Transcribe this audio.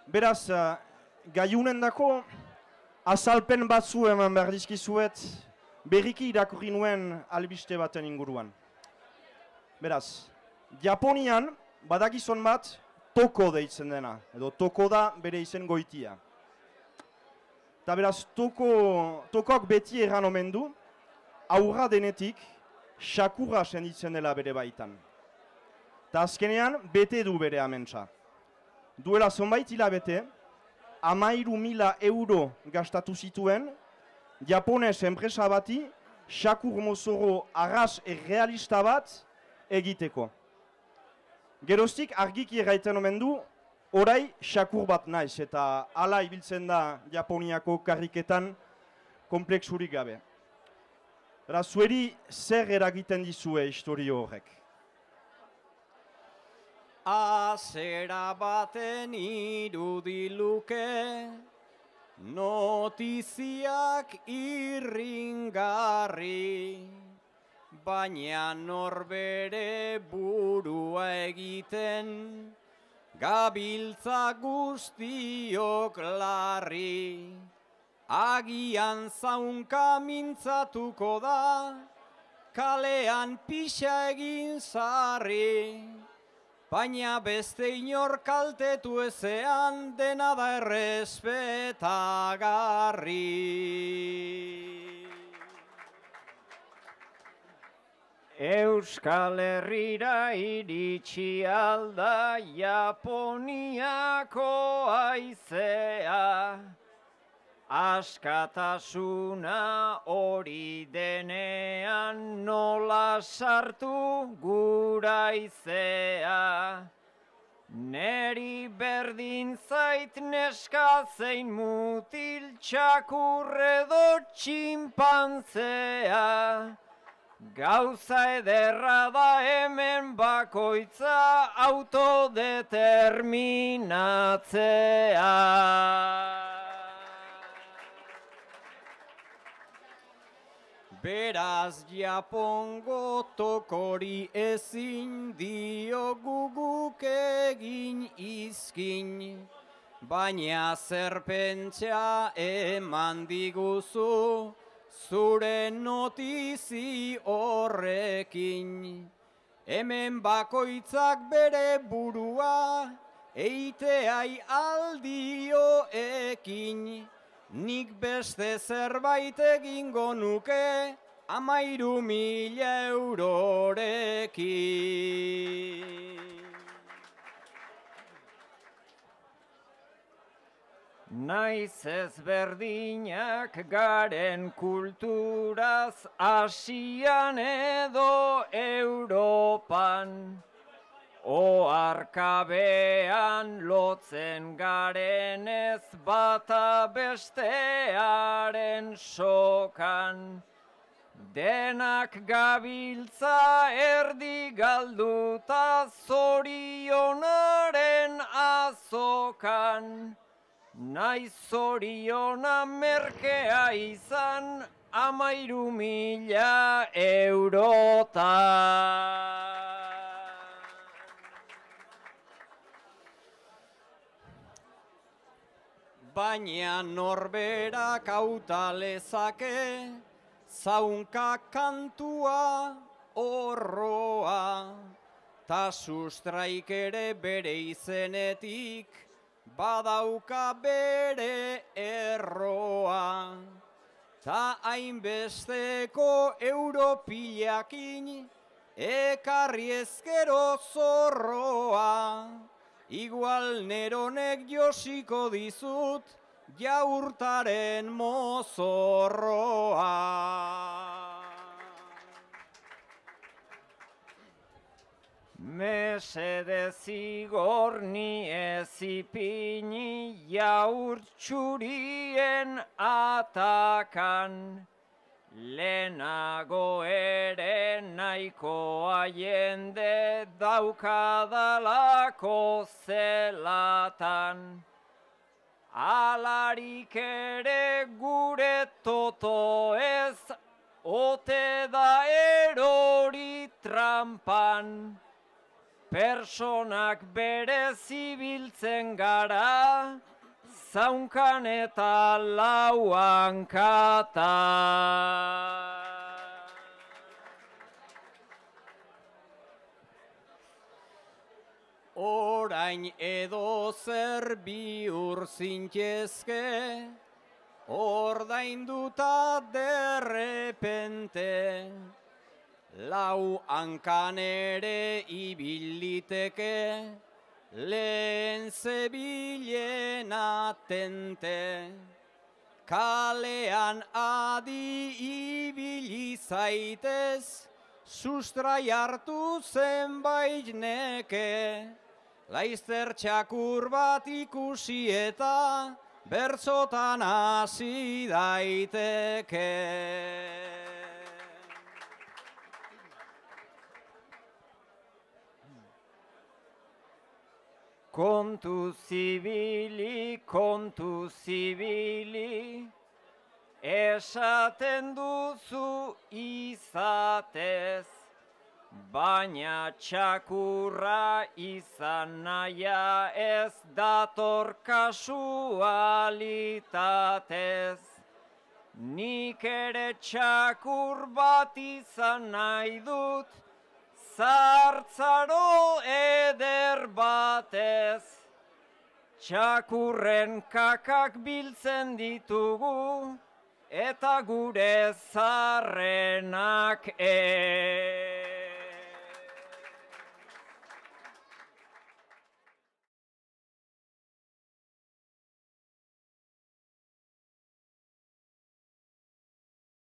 Beraz, gaiunen dako, azalpen batzu eman behar dizkizuet, berriki irakurri nuen albiste baten inguruan. Beraz, Japonian badakizon bat toko deitzen dena, edo toko da bere izen goitia. Eta beraz, tokok beti erran omen du, aurra denetik, xakurra senditzen dela bere baitan. Eta azkenean, bete du bere amentsa. Duela zonbait hilabete, 13.000 euro gastatu zituen, japones enpresa bati, xakur mozoro arras errealista bat egiteko. Geroztik argiki erraiten omen du, orai xakur bat naiz, eta hala ibiltzen da Japoniako karriketan kompleksurik gabe. Beraz, zueri zer eragiten dizue historio horrek? Azera baten irudiluke, notiziak irringarri, baina norbere burua egiten, gabiltza guztiok larri. Agian zaunka mintzatuko da, kalean pixa egin zarri. Baina beste inor kaltetu ezean, dena da errespetagarri. Euskal Herrira iritsi alda Japoniako aizea, askatasuna hori denean nola sartu gura izea. Neri berdin zait neska zein mutil txakurredo txinpantzea. Gauza ederra da hemen bakoitza autodeterminatzea. Beraz Japongo tokori ezin dio guguk egin izkin, baina zerpentsa eman diguzu zure notizi horrekin. Hemen bakoitzak bere burua eiteai aldio ekin. Nik beste zerbait egingo nuke 13.000 eurorekin. Naiz ezberdinak garen kulturaz Asian edo Europan, oarkabean lotzen garenez bata bestearen sokan. Denak gabiltza erdi galduta zorionaren azokan. Naiz zoriona merkea izan 13.000 eurotan. Baina norberak hauta lezake, zaunka kantua horroa, ta sustraik ere bere izenetik, badauka bere erroa. Ta hainbesteko europilakin, ekarri ezkero zorroa. Igual neronek josiko dizut, jaurtaren mozorroa. Mesedez igor ni ez ipini jaurtxurien atakan. Lehenago ere nahikoa jende daukadalako zelatan. Alarik ere gure toto ez, ote da erori trampan. Personak berezi biltzen gara, zaunkan eta lauan kata. Orain edo zer bihur zintezke, ordainduta derrepente, lau hankan ere ibiliteke, lehen zebilen atente. Kalean adi ibili zaitez, sustrai hartu zenbait neke, laizter txakur bat ikusi eta bertzotan hasi daiteke. Kontu zibili, esaten duzu izatez, baina txakurra izan nahia ez dator kasualitatez. Nik ere txakur bat izan nahi dut, zartzaro eder batez. Txakurren kakak biltzen ditugu, eta gure zarrenak